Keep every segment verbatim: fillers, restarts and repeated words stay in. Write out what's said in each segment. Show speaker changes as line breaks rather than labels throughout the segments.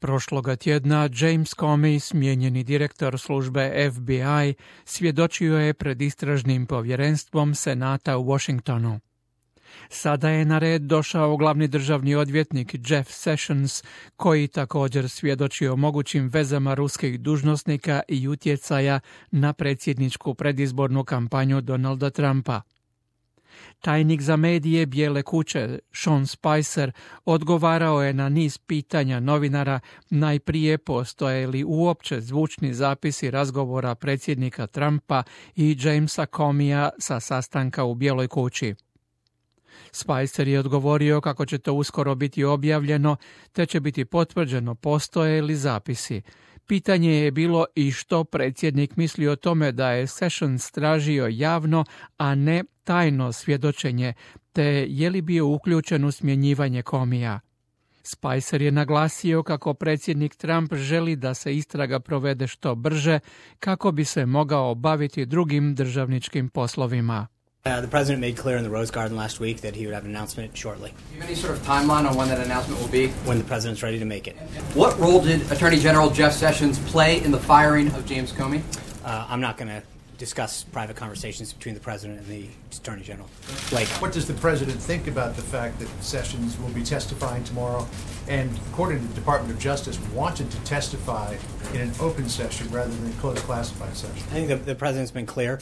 Prošloga tjedna James Comey, smijenjeni direktor službe F B I, svjedočio je pred istražnim povjerenstvom Senata u Washingtonu. Sada je na red došao glavni državni odvjetnik Jeff Sessions, koji također svjedoči o mogućim vezama ruskih dužnosnika i utjecaja na predsjedničku predizbornu kampanju Donalda Trumpa. Tajnik za medije Bijele kuće, Sean Spicer, odgovarao je na niz pitanja novinara, najprije postoje li uopće zvučni zapisi razgovora predsjednika Trumpa i Jamesa Comeya sa sastanka u Bijeloj kući. Spicer je odgovorio kako će to uskoro biti objavljeno, te će biti potvrđeno postoje li zapisi. Pitanje je bilo i što predsjednik misli o tome da je Sessions tražio javno, a ne tajno svjedočenje, te je li bio uključen u smjenjivanje Comeyja. Spicer je naglasio kako predsjednik Trump želi da se istraga provede što brže, kako bi se mogao baviti drugim državničkim poslovima.
Uh, the president made clear in the Rose Garden last week that he would have an announcement shortly.
Do you have any sort of timeline on when that announcement will be?
When the president's ready to make it.
What role did Attorney General Jeff Sessions play in the firing of James Comey?
Uh, I'm not going to discuss private conversations between the president and the attorney general. Like,
what does the president think about the fact that Sessions will be testifying tomorrow, and according to the Department of Justice, wanted to testify in an open session rather than a closed classified session?
I think the, the president's been clear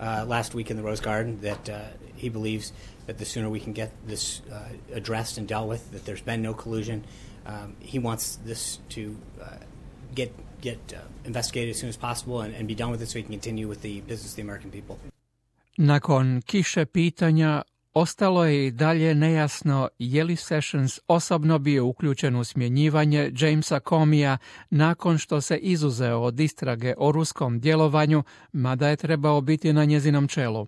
uh, last week in the Rose Garden that uh, he believes that the sooner we can get this uh, addressed and dealt with, that there's been no collusion. Um, he wants this to uh, get get uh, investigated as soon as possible and, and be done with it so he can continue with the business of the American people.
Nakon kiše pitanja, ostalo je i dalje nejasno je li Sessions osobno bio uključen u smjenjivanje Jamesa Comeyja nakon što se izuzeo od istrage o ruskom djelovanju, mada je trebao biti na njezinom čelu.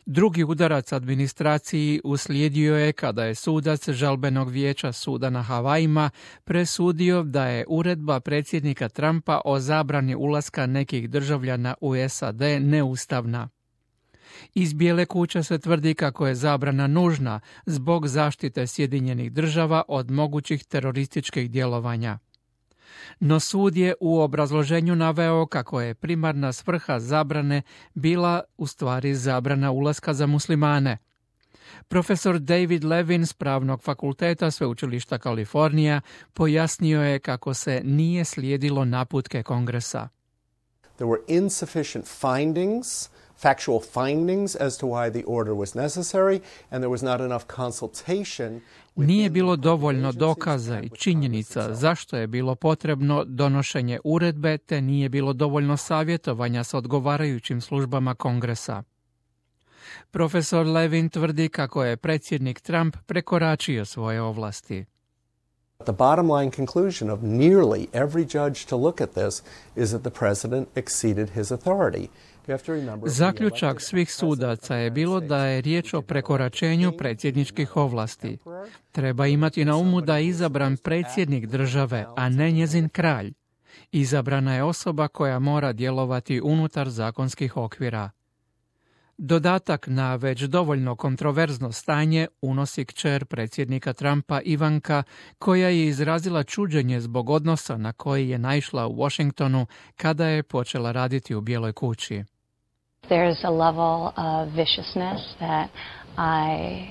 Drugi udarac administraciji uslijedio je kada je sudac žalbenog vijeća suda na Havajima presudio da je uredba predsjednika Trumpa o zabrani ulaska nekih državljana u S A D neustavna. Iz Bijele kuće se tvrdi kako je zabrana nužna zbog zaštite Sjedinjenih država od mogućih terorističkih djelovanja. No sud je u obrazloženju naveo kako je primarna svrha zabrane bila u stvari zabrana ulaska za muslimane. Profesor David Levin s Pravnog fakulteta Sveučilišta Kalifornija pojasnio je kako se nije slijedilo naputke Kongresa.
There were insufficient findings, factual findings as to why the order was necessary, and there was not enough consultation.
Nije bilo dovoljno dokaza i činjenica zašto je bilo potrebno donošenje uredbe, te nije bilo dovoljno savjetovanja s odgovarajućim službama Kongresa. Profesor Levin tvrdi kako je predsjednik Trump prekoračio svoje ovlasti.
The bottom line conclusion of nearly every judge to look at this is that the president exceeded his authority.
Zaključak svih sudaca je bilo da je riječ o prekoračenju predsjedničkih ovlasti. Treba imati na umu da je izabran predsjednik države, a ne njezin kralj. Izabrana je osoba koja mora djelovati unutar zakonskih okvira. Dodatak na već dovoljno kontroverzno stanje unosi kćer predsjednika Trumpa Ivanka, koja je izrazila čuđenje zbog odnosa na koji je naišla u Washingtonu kada je počela raditi u Bijeloj kući.
There's a level of viciousness that I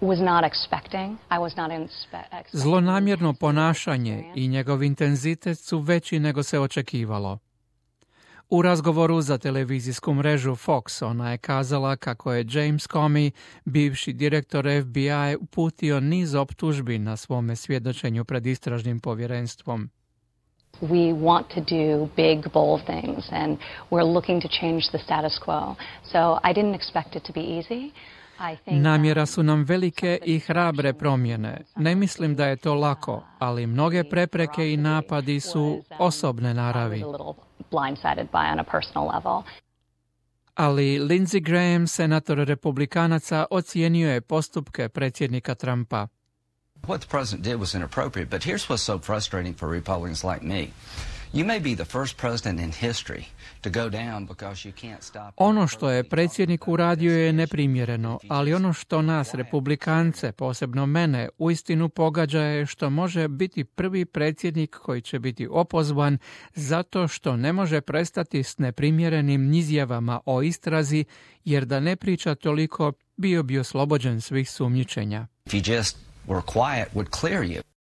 was not expecting. I was not inspe-
Zlonamjerno ponašanje i njegov intenzitet su veći nego se očekivalo. U razgovoru za televizijsku mrežu Fox ona je kazala kako je James Comey, bivši direktor F B I, uputio niz optužbi na svome svjedočenju pred istražnim povjerenstvom.
We want to do big, bold things, and we're looking to change the status quo. So I didn't expect it to be easy.
Namjera su nam velike i hrabre promjene. Ne mislim da je to lako, ali mnoge prepreke i napadi su osobne naravi. Ali Lindsey Graham, senator republikanaca, ocijenio je postupke predsjednika Trumpa.
What the president did was inappropriate, but here's what's so frustrating for Republicans like me. You may be the first president in history to go down because you can't stop.
Ono što je predsjednik uradio je neprimjereno, ali ono što nas republikance, posebno mene, uistinu pogađa je što može biti prvi predsjednik koji će biti opozvan zato što ne može prestati s neprimjerenim izjavama o istrazi, jer da ne priča toliko bio bi oslobođen svih sumnjičenja.
If you just were quiet, would clear you.